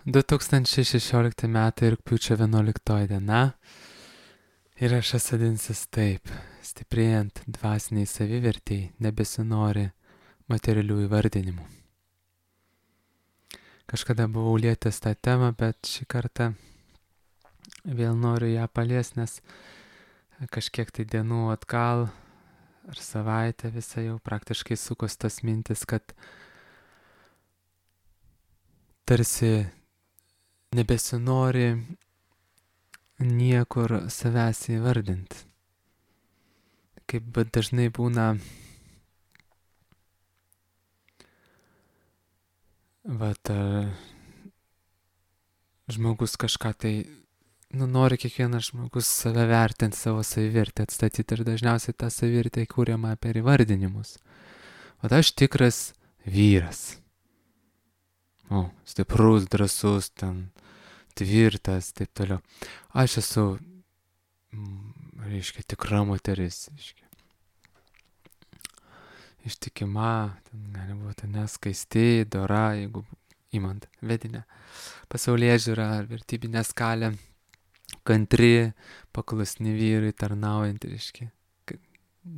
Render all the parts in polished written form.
2016 metai rugpjūčio 11 diena įrašas vadinsis taip: stiprėjant dvasiniai savivertei nebesinori materialių įvardinimų. Kažkada buvau lietęs tą temą, bet šį kartą vėl noriu ją paliesti, nes kažkiek tai dienų atgal ar savaitę visą jau praktiškai sukos tas mintis, kad tarsi nebesinori niekur savęs įvardinti. Kaip dažnai būna, žmogus kažką tai, nori kiekvienas žmogus save vertinti, savo savivertę atstatyti, ir dažniausiai ta savivertė kūriama per įvardinimus. Aš tikras vyras. Stiprus, drąsus, tvirtas, taip toliau. Aš esu, tikra moteris, ištikima, gali būti neskaisti, dora, jeigu imant vedinę pasaulėžiūrą ar vertybinę skalę, kantri, paklusni vyrai, tarnaujantį,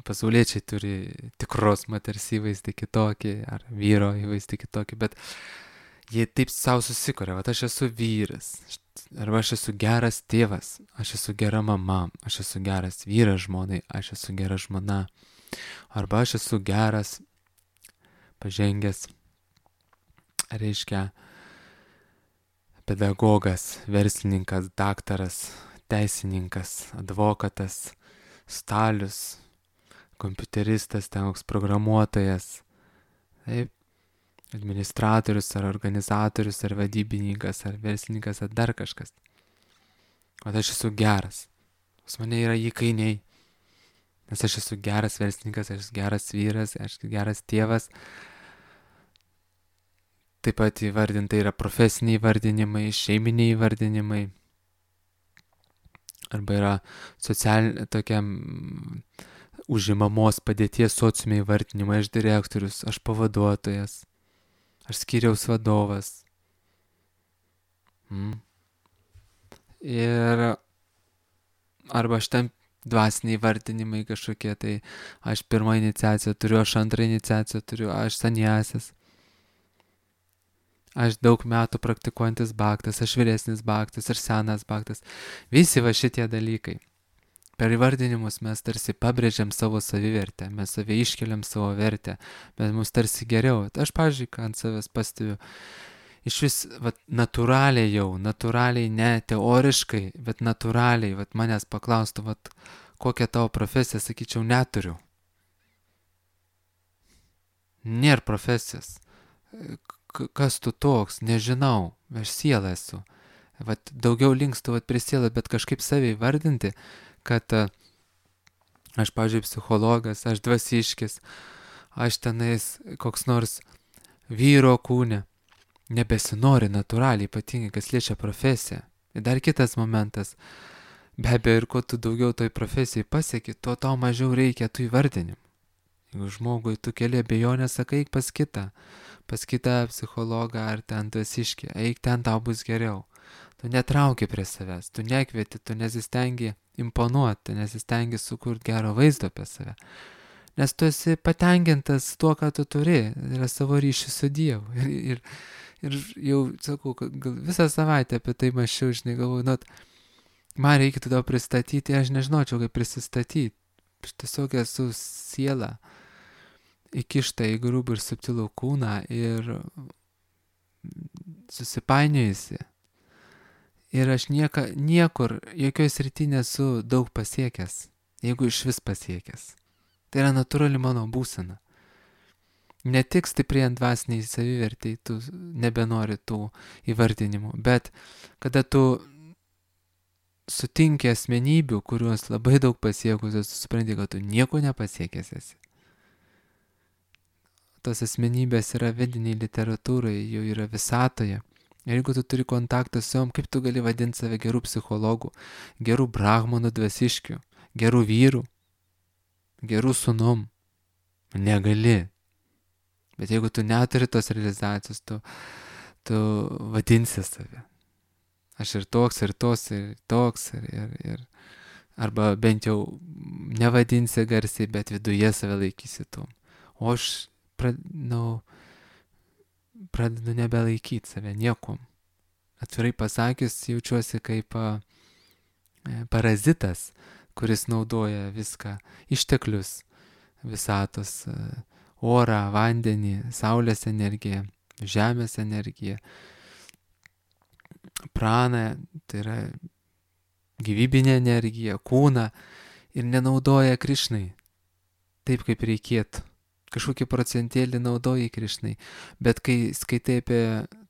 pasauliečiai turi tikros moters įvaizdį kitokį, ar vyro įvaizdį kitokį, bet jie taip savo susikuria: aš esu vyras, arba aš esu geras tėvas, aš esu gera mama, aš esu geras vyras žmonai, aš esu gera žmona, arba aš esu geras, pažengęs, pedagogas, verslininkas, daktaras, teisininkas, advokatas, stalius, kompiuteristas, koks programuotojas, taip, administratorius, ar organizatorius, ar vadybininkas, ar verslininkas, ar dar kažkas. Aš esu geras. Pas mane yra įkainiai. Nes aš esu geras verslininkas, aš esu geras vyras, aš esu geras tėvas. Taip pat įvardinta yra profesiniai įvardinimai, šeiminiai įvardinimai. Arba yra tokiam užimamos padėties sociume įvardinimai: aš direktorius, aš pavaduotojas, aš skyriaus vadovas. Ir arba aš dvasiniai vardinimai kažkokie, tai aš pirmą iniciaciją turiu, aš antrą iniciaciją turiu, aš saniasis, aš daug metų praktikuojantis bhaktas, aš vyresnis bhaktas, aš senas bhaktas. Visi šitie dalykai. Per įvardinimus mes tarsi pabrėžiam savo savivertę, mes save iškeliam savo vertę, bet mums tarsi geriau. Aš, pavyzdžiui, ant savęs pastebiu, iš vis, natūraliai, ne teoriškai, bet natūraliai, manęs paklaustų, kokią tavo profesiją, sakyčiau, neturiu. Nėra profesijos. Kas tu toks? Nežinau, aš siela esu. Daugiau linkstu prie sielą, bet kažkaip save įvardinti, kad aš, pavyzdžiui, psichologas, aš dvasiškis, aš tenais koks nors vyro kūne, nebesinori natūraliai, ypatingai kas liečia profesiją. Ir dar kitas momentas: be abejo, ir kuo tu daugiau toj profesijai pasieki, tuo tau mažiau reikia tų įvardinimų. Jeigu žmogui tu keli abejonę, sakai, eik pas kitą psichologą ar ten dvasiškį, eik ten, tau bus geriau. Tu netrauki prie savęs, tu nekvieti, tu nesistengi imponuoti, tu nesistengi sukurti gero vaizdo apie save. Nes tu esi patenkintas tuo, ką tu turi, yra savo ryšį su Dievu. Ir jau, sakau, gal visą savaitę apie tai mąsčiau, galvoju, man reikia tada pristatyti, aš nežinočiau, kaip prisistatyti. Aš tiesiog esu siela, įkišta į grubų ir subtilų kūną ir susipainiojusi. Ir aš niekur, jokioj srity nesu daug pasiekęs, jeigu iš vis pasiekęs. Tai yra natūrali mano būsena. Ne tik stiprėjant dvasiniai savivertei, tu nebenori tų įvardinimų, bet kada tu sutinki asmenybių, kurios labai daug pasiekusios, tu supranti, kad tu nieko nepasiekęs esi. Tos asmenybės yra vediniai literatūroje, jau yra visatoje. Ir jeigu tu turi kontaktą su jom, kaip tu gali vadinti save gerų psichologų, gerų brahmanų dvasiškių, gerų vyrų, gerų sūnum? Negali. Bet jeigu tu neturi tos realizacijos, tu vadinsi save. Aš ir toks, ir tos, ir toks, ir arba bent jau nevadinsi garsiai, bet viduje save laikysi tuom. O aš pradedu nebelaikyti save niekom. Atvirai pasakius, jaučiuosi kaip parazitas, kuris naudoja viską, išteklius visatos, orą, vandenį, saulės energiją, žemės energiją, praną, tai yra gyvybinė energija, kūną ir nenaudoja Krišnai taip, kaip reikėtų. Kažkokį procentėlį naudoja Krišnai, bet kai skaitai apie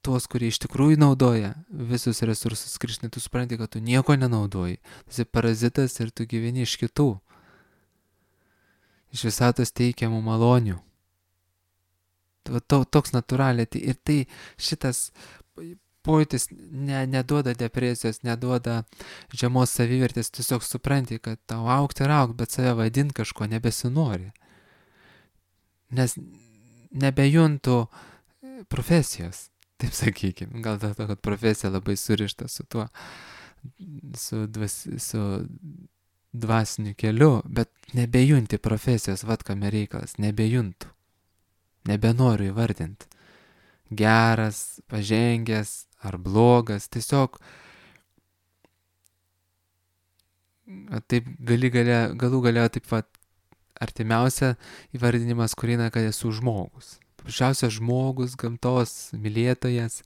tuos, kurie iš tikrųjų naudoja visus resursus Krišnai, tu supranti, kad tu nieko nenaudoji. Tu esi parazitas ir tu gyveni iš kitų, iš visatos teikiamų malonių. Toks natūraliai. Ir tai šitas pojūtis neduoda depresijos, neduoda žemos savivertės, tiesiog supranti, kad tau augti ir augti, bet save vadinti kažko nebesinori. Nes nebejuntu profesijos, taip sakykime. Gal dėl to, kad profesija labai surišta su tuo, su dvasiniu keliu, bet nebejunti profesijos, kame reikalas, nebejuntu. Nebenoriu įvardinti. Geras, pažengęs ar blogas, tiesiog taip galų galia taip pat artimiausia įvardinimas, kurina, kad esu žmogus. Paprasčiausias žmogus, gamtos mylėtojas,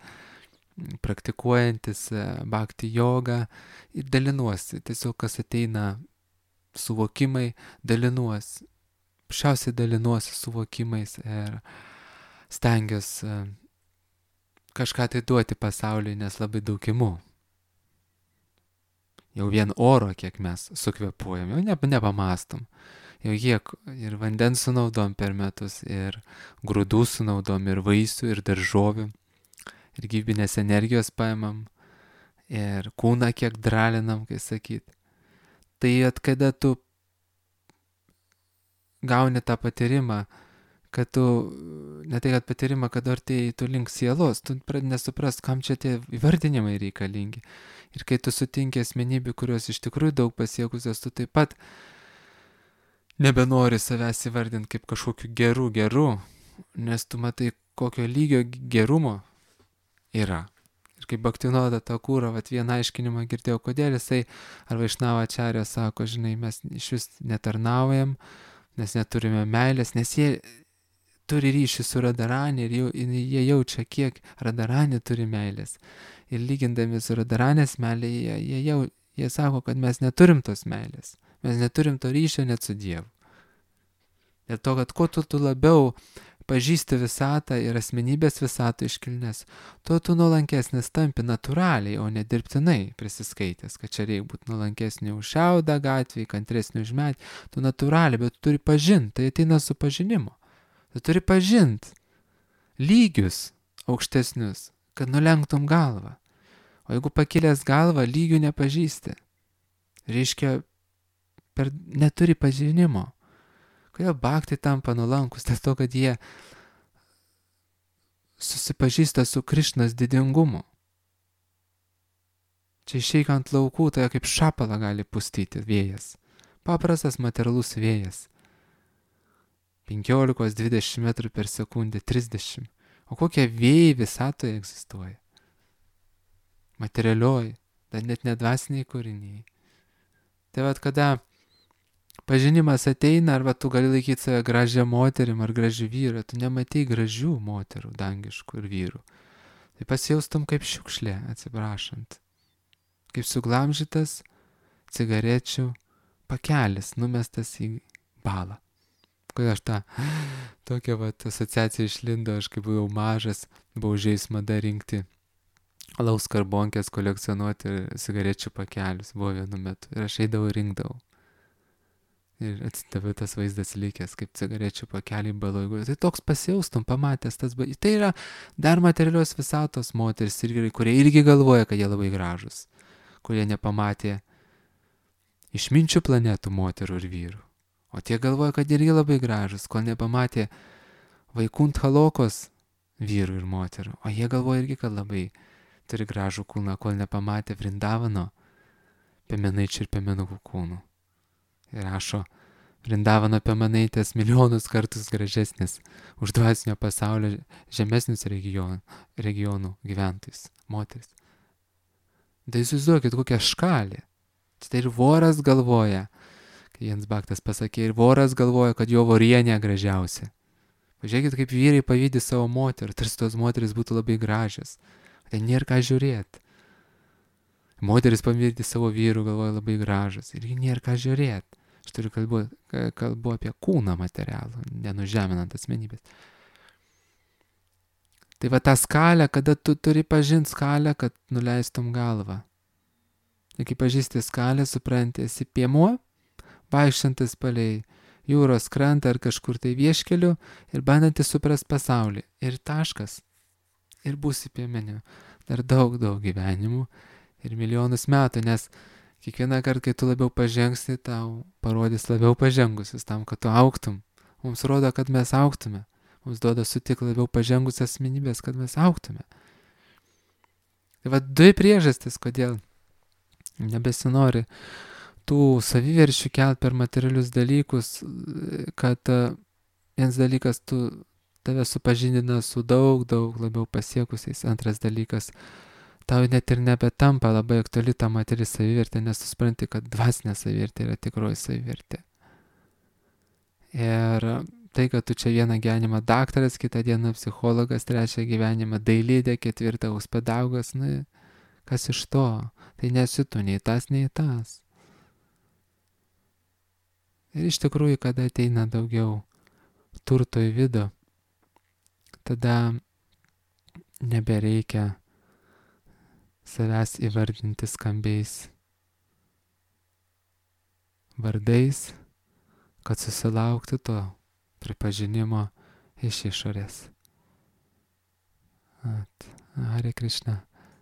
praktikuojantis bhakti jogą ir dalinuosi. Tiesiog kas ateina suvokimai, dalinuosi. Paprasčiausiai dalinuosi suvokimais ir stengiuosi kažką tai duoti pasauliui, nes labai daug imu. Jau vien oro, kiek mes sukvepuojam, jau nepamastom. Jau kiek ir vandens sunaudom per metus, ir grūdų sunaudom, ir vaisių, ir daržovių, ir gyvybinės energijos paimam, ir kūną kiek dralinam, kai sakyt. Tai kada tu gauni tą patyrimą, kad tu, ne tai kad patyrimą, kad artėjai tu link sielos, tu pradedi nesuprast, kam čia tie įvardinimai reikalingi. Ir kai tu sutinki asmenybių, kurios iš tikrųjų daug pasiekusios, tu taip pat nebenori savęs įvardinti kaip kažkokiu geru, nes tu matai, kokio lygio gerumo yra. Ir kaip Bhaktivinoda Thakura, vieną aiškinimą girdėjau, kodėl jisai, ar Vaišnava Acharya sako, žinai, mes iš vis netarnaujam, nes neturime meilės, nes jie turi ryšį su Radharani ir jie jaučia, kiek Radharani turi meilės. Ir lygindami su Radharanės meilė, jie sako, kad mes neturim tos meilės. Mes neturim to ryšio net su Dievu. Dėl to, kad kuo tu labiau pažįsti visatą ir asmenybės visatą iškilnes, tuo tu nuolankesnis tampi natūraliai, o ne dirbtinai prisiskaitęs, kad čia reikia būti nuolankesnį už šiaudą gatvį, kantresnį už medį. Tu natūraliai, bet tu turi pažinti, tai ateina su pažinimu. Tu turi pažinti lygius aukštesnius, kad nulenktum galvą. O jeigu pakilęs galvą, lygių nepažįsti, reiškia, neturi pažinimo. Kodėl bhakti tampa nuolankus? Dėl to, kad jie susipažįsta su Krišnos didingumu. Čia išeik ant laukų, tai kaip šapalą gali pustyti vėjas. Paprastas materialus vėjas. 15-20 metrų per sekundę, 30. O kokie vėjai visatoje egzistuoja? Materialioji, dar net nedvasiniai kūriniai. Tai kada pažinimas ateina, arba tu gali laikyti save gražią moterim ar gražių vyrų, tu nematai gražių moterų, dangiškų ir vyrų. Tai pasijaustum kaip šiukšlė, atsiprašant. Kaip suglamžytas cigarečių pakelis, numestas į balą. Kodėl aš tokia asociacija išlindo, aš kai buvau mažas, buvau žais mada rinkti alaus karbonkės, kolekcionuoti cigarečių pakelius, buvo vienu metu. Ir aš eidavau ir rinkdavau. Ir atsitavė tas vaizdas likęs, kaip cigarečių pakeliai baloj. Tai toks pasijaustum, pamatęs tas. Tai yra dar materialios visatos moteris ir vyrai, kurie irgi galvoja, kad jie labai gražus. Kurie nepamatė išminčių planetų moterų ir vyrų. O tie galvoja, kad irgi labai gražus, kol nepamatė Vaikuntha Lokos vyrų ir moterų. O jie galvoja irgi, kad labai turi gražų kūną, kol nepamatė Vrindavano piemenaičių ir piemenukų kūnų. Ir rašo, Vrindavano piemenaitės milijonus kartus gražesnis už dvasinio pasaulio žemesnius regionų gyventojus, moteris. Tai įsivaizduokit, kokia škalė. Tai ir voras galvoja, kai Jens Baktas pasakė, ir voras galvoja, kad jo vorienė gražiausia. Pažiūrėkit, kaip vyrai pavydi savo moterį, tarsi tos moteris būtų labai gražios. Tai nėra ką žiūrėti. Moteris pavydi savo vyrų, galvoja labai gražus. Ir nėra ką žiūrėti. Aš turiu kalbu apie kūną materialų, nenužeminant asmenybės. Tai va ta skalė, kada tu turi pažinti skalę, kad nuleistum galvą. Ir kai pažįsti skalę, supranti, esi piemuo, vaikštantis palei jūros krantą ar kažkur tai vieškeliu ir bandantis suprast pasaulį. Ir taškas. Ir būsi piemeniu. Dar daug gyvenimų ir milijonus metų, nes kiekvieną kartą, kai tu labiau pažengsi, tau parodys labiau pažengusius tam, kad tu augtum. Mums rodo, kad mes augtume. Mums duoda sutik labiau pažengus asmenybės, kad mes augtume. Tai va 2 priežastis, kodėl nebesinori tų saviverčių kelt per materialius dalykus, kad vienas dalykas tave supažindina su daug labiau pasiekusiais, antras dalykas, tau net ir nebetampa labai aktuali ta materiali savivertė, nes tu supranti, kad dvasinė savivertė yra tikroji savivertė. Ir tai, kad tu čia vieną gyvenimą daktaras, kitą dieną psichologas, trečią gyvenimą dailidė, ketvirtą pedagogas, kas iš to? Tai nesi tu nei tas, nei tas. Ir iš tikrųjų, kada ateina daugiau turto į vidų, tada nebereikia savęs įvardinti skambiais vardais, kad susilaukti to pripažinimo iš išorės. Hare Krishna.